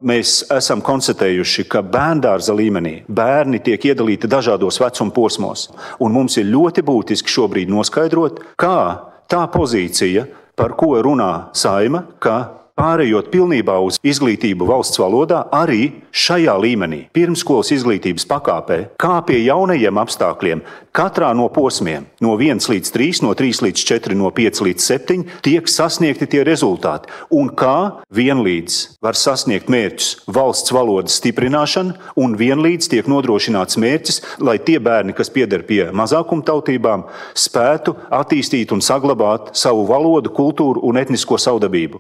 Mēs esam konstatējuši, ka bērndārza līmenī bērni tiek iedalīti dažādos vecuma posmos, un mums ir ļoti būtiski šobrīd noskaidrot, kā tā pozīcija, par ko runā Saeima, ka pārējot pilnībā uz izglītību valsts valodā, arī šajā līmenī, pirmskolas izglītības pakāpē, kā pie jaunajiem apstākļiem, katrā no posmiem, no 1 līdz 3, no 3 līdz 4, no 5 līdz 7, tiek sasniegti tie rezultāti, un kā vienlīdz var sasniegt mērķus valsts valodas stiprināšana, un vienlīdz tiek nodrošināts mērķis, lai tie bērni, kas pieder pie mazākumtautībām, spētu attīstīt un saglabāt savu valodu, kultūru un etnisko savdabību.